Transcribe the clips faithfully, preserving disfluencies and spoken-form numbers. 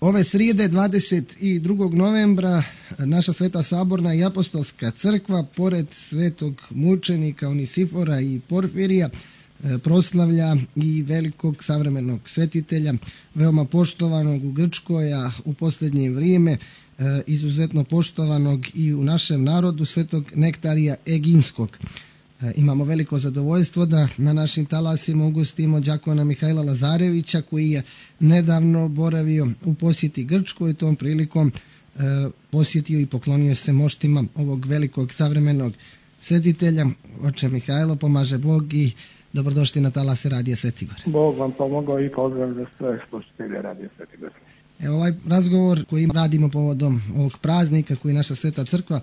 Ove srijede dvadeset drugog novembra naša Sveta Saborna i Apostolska crkva pored svetog mučenika Onisifora i Porfirija proslavlja i velikog savremenog svetitelja, veoma poštovanog u Grčkoj, a u posljednje vrijeme izuzetno poštovanog i u našem narodu, svetog Nektarija Eginskog. Imamo veliko zadovoljstvo da na našim talasima ugostimo đakona Mihajla Lazarevića, koji je nedavno boravio u posjeti Grčkoj i tom prilikom posjetio i poklonio se moštima ovog velikog savremenog svetitelja. Oče Mihajlo, pomaže Bog i dobrodošli na talase Radija Sveti Igor. Bog vam pomogao i pozdrav za sve slušatelje Radija Sveti Igor. Evo, ovaj razgovor koji radimo povodom ovog praznika koji naša Sveta Crkva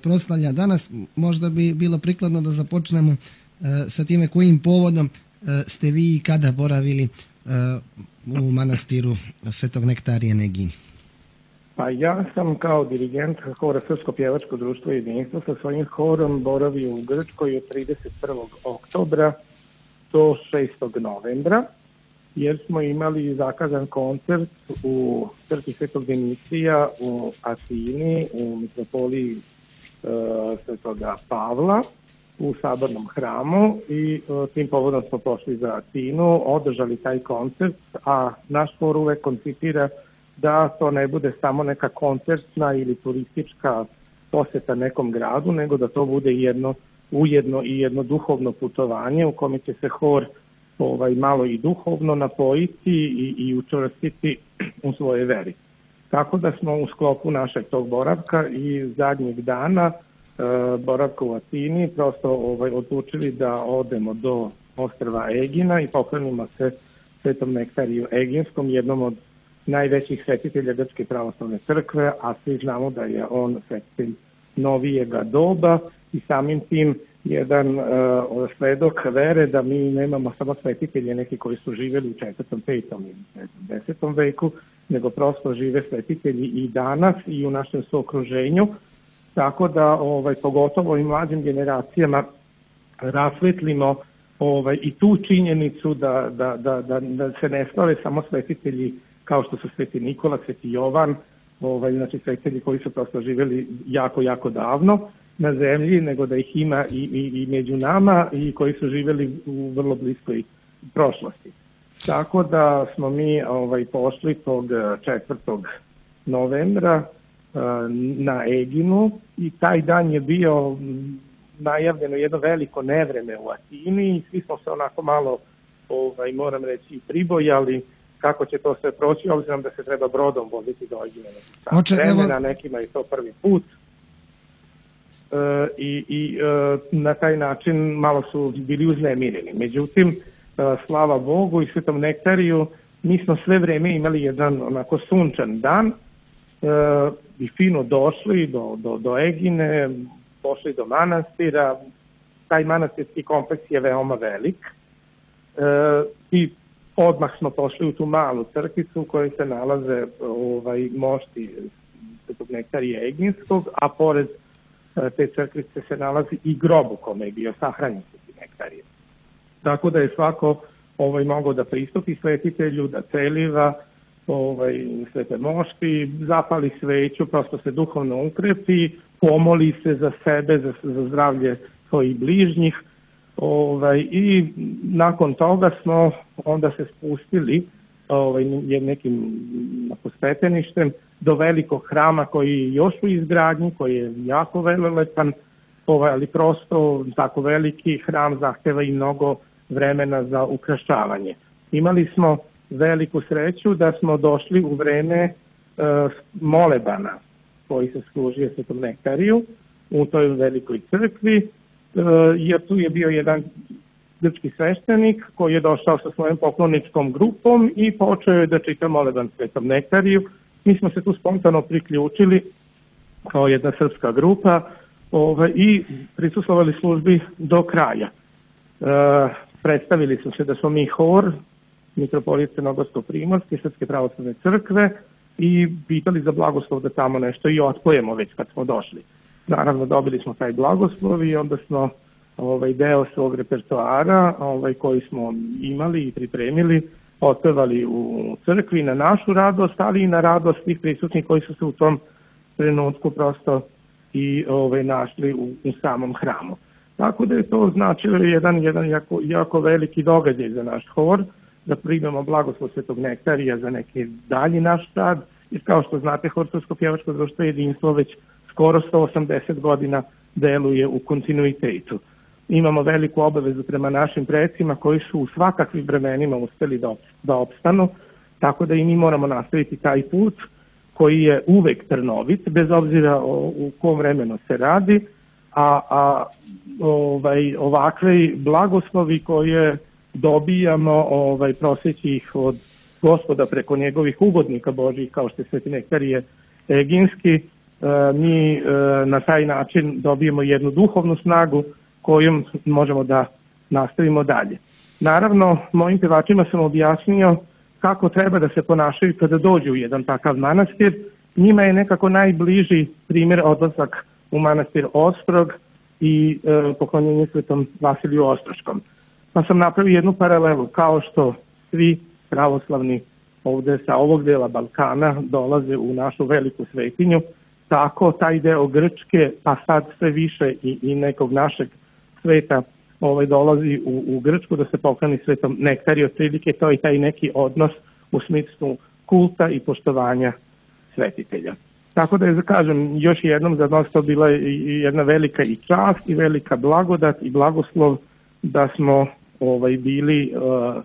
proslavlja danas, možda bi bilo prikladno da započnemo sa time kojim povodom ste vi i kada boravili u manastiru Svetog Nektarija na Egini. Pa ja sam kao dirigent hora Srpsko pjevačko društvo Jedinstvo sa svojim horom boravio u Grčkoj od trideset prvog oktobra do šestog novembra, jer smo imali zakazan koncert u crkvi Svetog Dimitrija u Atini, u mitropoliji e, Svetoga Pavla, u sabornom hramu, i e, tim povodom smo pošli za Atinu, održali taj koncert, a naš hor uvek koncipira da to ne bude samo neka koncertna ili turistička poseta nekom gradu, nego da to bude jedno ujedno i jedno duhovno putovanje u kome će se hor ovaj, malo i duhovno napojiti i, i učvrstiti u svoje veri. Tako da smo u sklopu našeg tog boravka i zadnjeg dana e, boravka u Atini prosto ovaj, odlučili da odemo do ostrva Egina i poklonimo se Svetom Nektariju Eginskom, jednom od najvećih svetitelja Grčke pravoslavne crkve, a svi znamo da je on svetitelj novijega doba i samim tim jedan uh, svedok vere da mi nemamo samo svetitelje neki koji su živjeli u četvrtom, petom i desetom veku, nego prosto žive svetitelji i danas i u našem suokruženju, tako da ovaj, pogotovo i mlađim generacijama rasvetlimo ovaj, i tu činjenicu da, da, da, da, da se ne slave samo svetitelji kao što su Sveti Nikola, Sveti Jovan, ovaj, znači svetitelji koji su prosto živjeli jako, jako davno na zemlji, nego da ih ima i, i, i među nama i koji su živjeli u vrlo bliskoj prošlosti. Tako da smo mi ovaj, pošli tog četvrtog novembra uh, na Eginu i taj dan je bio najavljeno jedno veliko nevreme u Atini i svi smo se onako malo, ovaj, moram reći, pribojali kako će to sve proći, obzirom da se treba brodom voziti do Egina nekih vremena, nekima je to prvi put. E, i, i e, na taj način malo su bili uznemireni. Međutim, e, slava Bogu i Svetom Nektariju, mi smo sve vreme imali jedan onako sunčan dan e, i fino došli do, do, do Egine, pošli do manastira. Taj manastirski kompleks je veoma velik e, i odmah smo pošli u tu malu crkvicu u kojoj se nalaze ovaj, mošti Svetog Nektarija Eginskog, a pored te crkvice se nalazi i grob u kome je bio sahranjen Sveti Nektarije. Tako da je svako ovaj, mogao da pristupi svetitelju, da celiva ovaj, svete mošti, zapali sveću, prosto se duhovno ukrepi, pomoli se za sebe, za, za zdravlje svojih bližnjih. Ovaj, i nakon toga smo onda se spustili ovaj, nekim stepeništem do velikog hrama koji je još u izgradnji, koji je jako velelepan, ovaj, ali prosto tako veliki hram zahteva i mnogo vremena za ukrašavanje. Imali smo veliku sreću da smo došli u vreme uh, molebana koji se služio Svetom Nektariju u toj velikoj crkvi, jer tu je bio jedan grčki sveštenik koji je došao sa svojom pokloničkom grupom i počeo je da čita moleban Svetom Nektariju. Mi smo se tu spontano priključili kao jedna srpska grupa ovaj, i prisustvovali službi do kraja. E, predstavili su se da smo mi hor mitropolije Crnogorsko-Primorske Srpske pravoslavne crkve i pitali za blagoslov da tamo nešto i otpojemo već kad smo došli. Naravno, dobili smo taj blagoslov i onda smo ovaj, deo svog repertoara ovaj, koji smo imali i pripremili otpevali u crkvi na našu radost, ali i na radost svih prisutnih koji su se u tom trenutku prosto i ovaj, našli u, u samom hramu. Tako da je to značilo jedan, jedan jako, jako veliki događaj za naš hor, da primamo blagoslov Svetog Nektarija za neki dalji naš rad, jer kao što znate, Hor Srpsko-pjevačko društvo Jedinstvo već skoro sto osamdeset godina deluje u kontinuitetu. Imamo veliku obavezu prema našim predsima koji su u svakakvim vremenima uspeli da, da opstanu, tako da i mi moramo nastaviti taj put koji je uvek trnovit, bez obzira o, u kom vremenu se radi, a, a ovaj, ovakve blagoslovi koje dobijamo, ovaj, proseći ih od Gospoda preko njegovih ugodnika Božih, kao što je Sveti Nektarije Eginski, e, mi e, na taj način dobijemo jednu duhovnu snagu kojom možemo da nastavimo dalje. Naravno, mojim pevačima sam objasnio kako treba da se ponašaju kada dođu u jedan takav manastir. Njima je nekako najbliži primjer odlazak u manastir Ostrog i e, poklonjenje Svetom Vasiliju Ostroškom. Pa sam napravio jednu paralelu, kao što svi pravoslavni ovde sa ovog dela Balkana dolaze u našu veliku svetinju, tako taj deo Grčke, pa sad sve više i, i nekog našeg sveta ovaj, dolazi u, u Grčku da se pokloni Svetom Nektariju. Otprilike to je taj neki odnos u smislu kulta i poštovanja svetitelja. Tako da je, da kažem, još jednom za nas to bila jedna velika i čast i velika blagodat i blagoslov da smo ovaj, bili uh,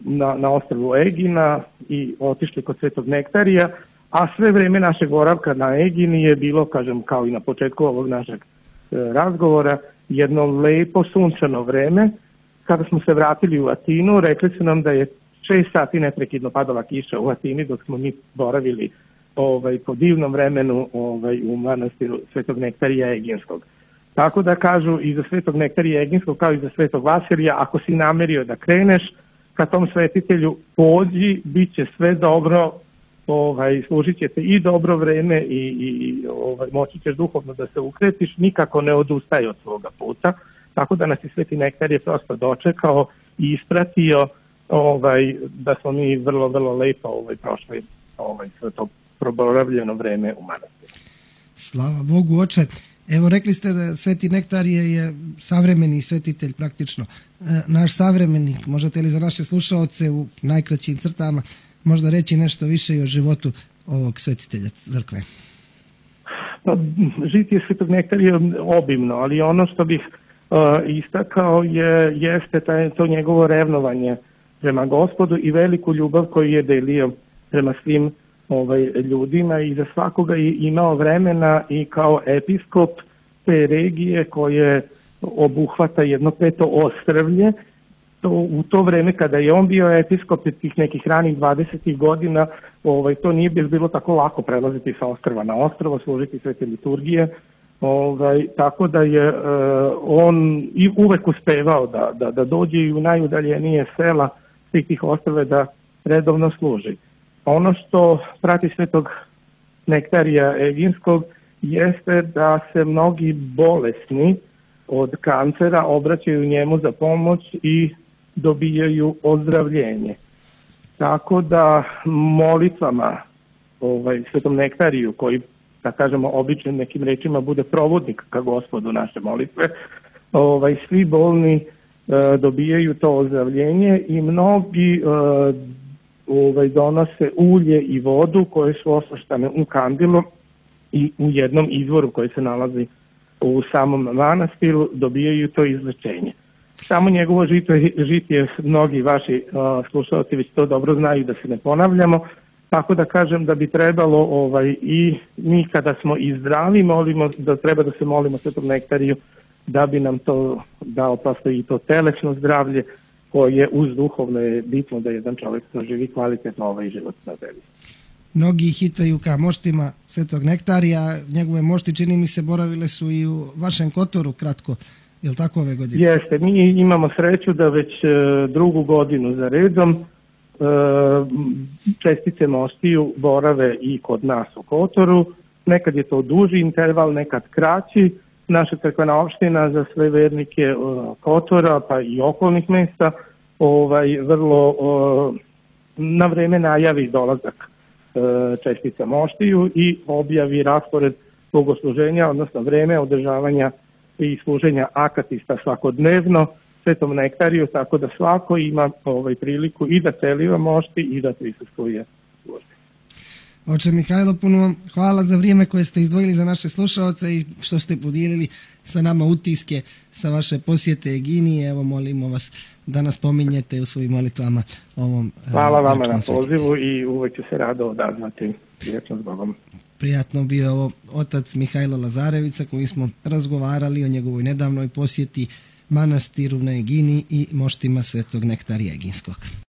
na, na ostrvu Egina i otišli kod Svetog Nektarija, a sve vreme našeg boravka na Egini je bilo, kažem, kao i na početku ovog našeg uh, razgovora, jedno lepo sunčano vreme. Kada smo se vratili u Atinu, rekli su nam da je šest sati neprekidno padala kiša u Atini dok smo mi boravili ovaj, po divnom vremenu ovaj, u manastiru Svetog Nektarija Eginskog. Tako da kažu i za Svetog Nektarija Eginskog kao i za Svetog Vasilija, ako si namerio da kreneš ka tom svetitelju, pođi, bit će sve dobro, ovaj, služit će te i dobro vreme i, i ovaj, moći ćeš duhovno da se ukretiš, nikako ne odustaje od svoga puta. Tako da nas i Sveti Nektar je prosto dočekao i ispratio ovaj, da smo mi vrlo, vrlo lepo ovaj, prošli ovaj, sve to proboravljeno vreme u manastiru. Slava Bogu, oče. Evo, rekli ste da Sveti Nektarije je savremeni svetitelj praktično. E, naš savremenik, možete li za naše slušaoce u najkraćim crtama možda reći nešto više i o životu ovog svetitelja crkve? Pa, žitije Svetog Nektarija je obimno, ali ono što bih uh, istakao je, jeste taj, to njegovo revnovanje prema Gospodu i veliku ljubav koju je delio prema svim ovaj, ljudima i za svakoga je imao vremena i kao episkop te regije koje obuhvata jedno peto ostrvlje. To, u to vreme kada je on bio episkop tih nekih ranih dvadesetih godina, ovaj, to nije bilo tako lako prelaziti sa ostrva na ostrvo, služiti svete liturgije, ovaj, tako da je uh, on i uvek uspevao da, da, da dođe i u najudaljenije sela svih tih ostrve da redovno služi. Ono što prati Svetog Nektarija Eginskog jeste da se mnogi bolesni od kancera obraćaju njemu za pomoć i dobijaju ozdravljenje. Tako da molitvama ovaj, Svetom Nektariju, koji, da kažemo, običnim nekim rečima bude provodnik ka Gospodu naše molitve, ovaj, svi bolni e, dobijaju to ozdravljenje i mnogi e, ovaj, donose ulje i vodu koje su osvrštane u kandilu i u jednom izvoru koji se nalazi u samom manastiru dobijaju to izlečenje. Samo njegovo žitije, žitije mnogi vaši uh, slušalci već to dobro znaju, da se ne ponavljamo, tako da kažem da bi trebalo ovaj, i mi kada smo i zdravi molimo, da treba da se molimo Svetom Nektariju da bi nam to dao prosto i to telesno zdravlje koje uz duhovno je bitno da jedan čovjek proživi kvalitetno ovaj život na zemlji. Mnogi hitaju ka moštima Svetog Nektarija, njegove mošti čini mi se boravile su i u vašem Kotoru kratko, je li tako ove godine? Jeste, mi imamo sreću da već e, drugu godinu za redom e, čestice moštiju borave i kod nas u Kotoru, nekad je to duži interval, nekad kraći. Naša crkvena opština za sve vernike e, Kotora pa i okolnih mesta ovaj, vrlo o, na vreme najavi dolazak e, čestica moštiju i objavi raspored bogosluženja, odnosno vreme održavanja i služenja akatista svakodnevno Svetom Nektariju, tako da svako ima ovaj, priliku i da celiva mošti i da prisustvuje službi. Oče Mihajlo, puno vam hvala za vrijeme koje ste izdvojili za naše slušalce i što ste podijelili sa nama utiske sa vaše posjete Egini. Evo, molimo vas da nas pominjete u svojim molitvama ovom. Hvala vama na pozivu i uvek ću se rado odazvati. Prijetno s Bogom. Prijatno bio ovo otac Mihajlo Lazarevica, koji smo razgovarali o njegovoj nedavnoj posjeti manastiru na Egini i moštima Svetog Nektarija Eginskog.